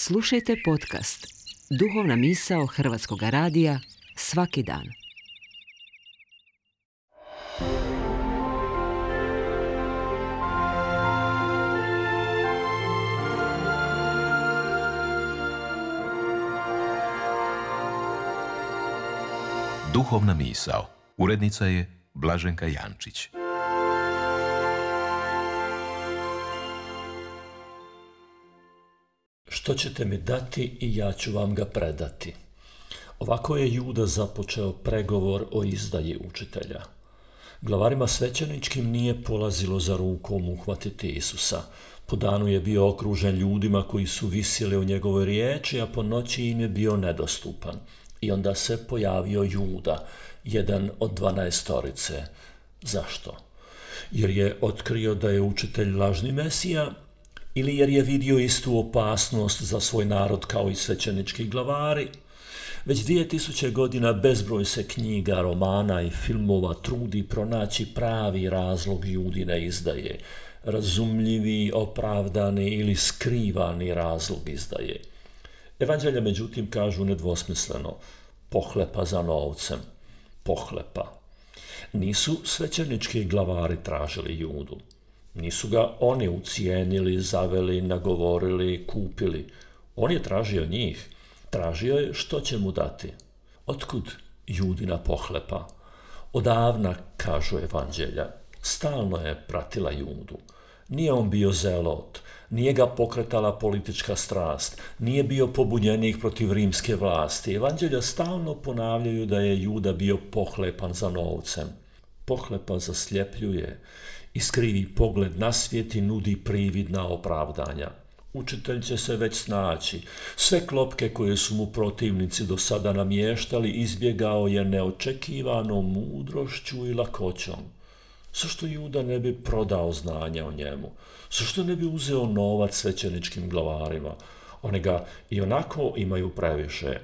Slušajte podcast Duhovna misao Hrvatskog radija svaki dan. Duhovna misao. Urednica je Blaženka Jančić. Što ćete mi dati i ja ću vam ga predati. Ovako je Juda započeo pregovor o izdaji učitelja. Glavarima svećeničkim nije polazilo za rukom uhvatiti Isusa. Po danu je bio okružen ljudima koji su visjeli o njegovoj riječi, a po noći im je bio nedostupan. I onda se pojavio Juda, jedan od 12. Zašto? Jer je otkrio da je učitelj lažni Mesija, ili jer je vidio istu opasnost za svoj narod kao i svećenički glavari. Već 2000 godina bezbroj se knjiga, romana i filmova trudi pronaći pravi razlog Judine izdaje, razumljivi, opravdani ili skrivani razlog izdaje. Evanđelja međutim kažu nedvosmisleno: pohlepa za novcem, pohlepa. Nisu svećenički glavari tražili Judu. Nisu ga oni ucijenili, zaveli, nagovorili, kupili. On je tražio njih. Tražio je što će mu dati. Otkud Judina pohlepa? Odavna, kažu evanđelja, stalno je pratila Judu. Nije on bio zelot, nije ga pokretala politička strast, nije bio pobunjenik protiv rimske vlasti. Evanđelja stalno ponavljaju da je Juda bio pohlepan za novcem. Pohlepa zasljepljuje, iskrivi pogled na svijet i nudi prividna opravdanja. Učitelj će se već snaći. Sve klopke koje su mu protivnici do sada namještali izbjegao je neočekivanom mudrošću i lakoćom. Zašto Juda ne bi prodao znanja o njemu? Zašto ne bi uzeo novac svećeničkim glavarima? Oni ga i onako imaju previše.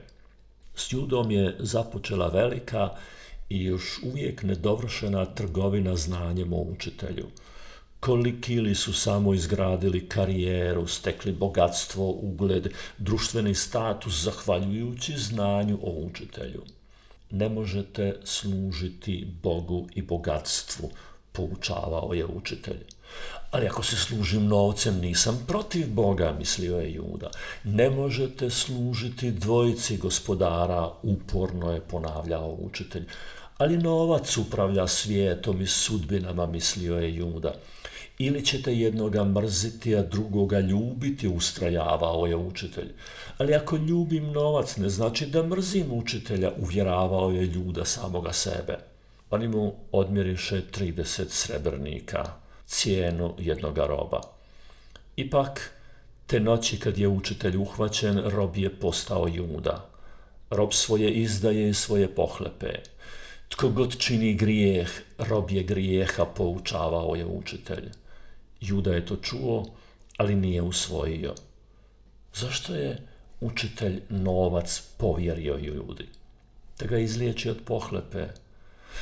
S Judom je započela velika i još uvijek nedovršena trgovina znanjem o učitelju. Koliki li su samo izgradili karijeru, stekli bogatstvo, ugled, društveni status zahvaljujući znanju o učitelju. Ne možete služiti Bogu i bogatstvu, poučavao je učitelj. Ali ako se služim novcem, nisam protiv Boga, mislio je Juda. Ne možete služiti dvojici gospodara, uporno je ponavljao učitelj. Ali novac upravlja svijetom i sudbinama, mislio je Juda. Ili ćete jednoga mrziti, a drugoga ljubiti, ustrajavao je učitelj. Ali ako ljubim novac, ne znači da mrzim učitelja, uvjeravao je Juda samoga sebe. Oni mu odmjeriše 30 srebrnika, cijenu jednoga roba. Ipak, te noći kad je učitelj uhvaćen, rob je postao Juda. Rob svoje izdaje i svoje pohlepe. Tko god čini grijeh, rob je grijeha, poučavao je učitelj. Juda je to čuo, ali nije usvojio. Zašto je učitelj novac povjerio Judi? Da ga izliječi od pohlepe.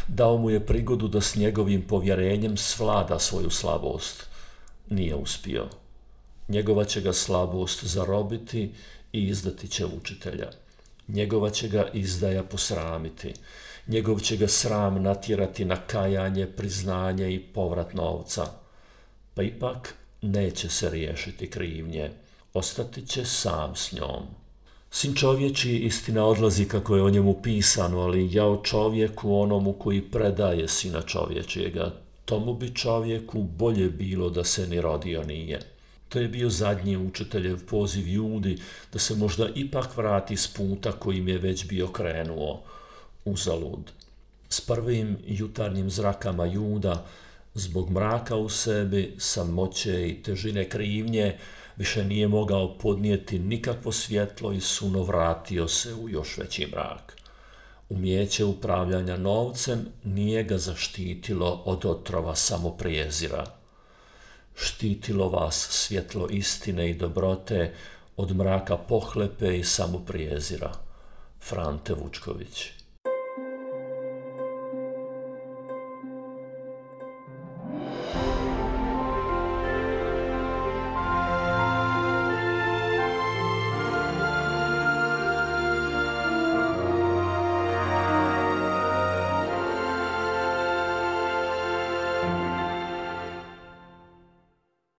Dao mu je prigodu da s njegovim povjerenjem svlada svoju slabost. Nije uspio. Njegova će ga slabost zarobiti i izdati će učitelja. Njegova će ga izdaja posramiti. Njegov će ga sram natjerati na kajanje, priznanje i povrat novca. Pa ipak neće se riješiti krivnje. Ostati će sam s njom. Sin čovječiji istina odlazi kako je o njemu pisano, ali jao čovjeku onomu koji predaje sina čovječijega. Tomu bi čovjeku bolje bilo da se ni rodio nije. To je bio zadnji učiteljev poziv Judi da se možda ipak vrati s puta kojim je već bio krenuo. Uzalud. S prvim jutarnjim zrakama Juda, zbog mraka u sebi, samoće i težine krivnje, više nije mogao podnijeti nikakvo svjetlo i suno vratio se u još veći mrak. Umijeće upravljanja novcem nije ga zaštitilo od otrova samoprijezira. Štitilo vas svjetlo istine i dobrote od mraka pohlepe i samoprijezira. Frante Vučković.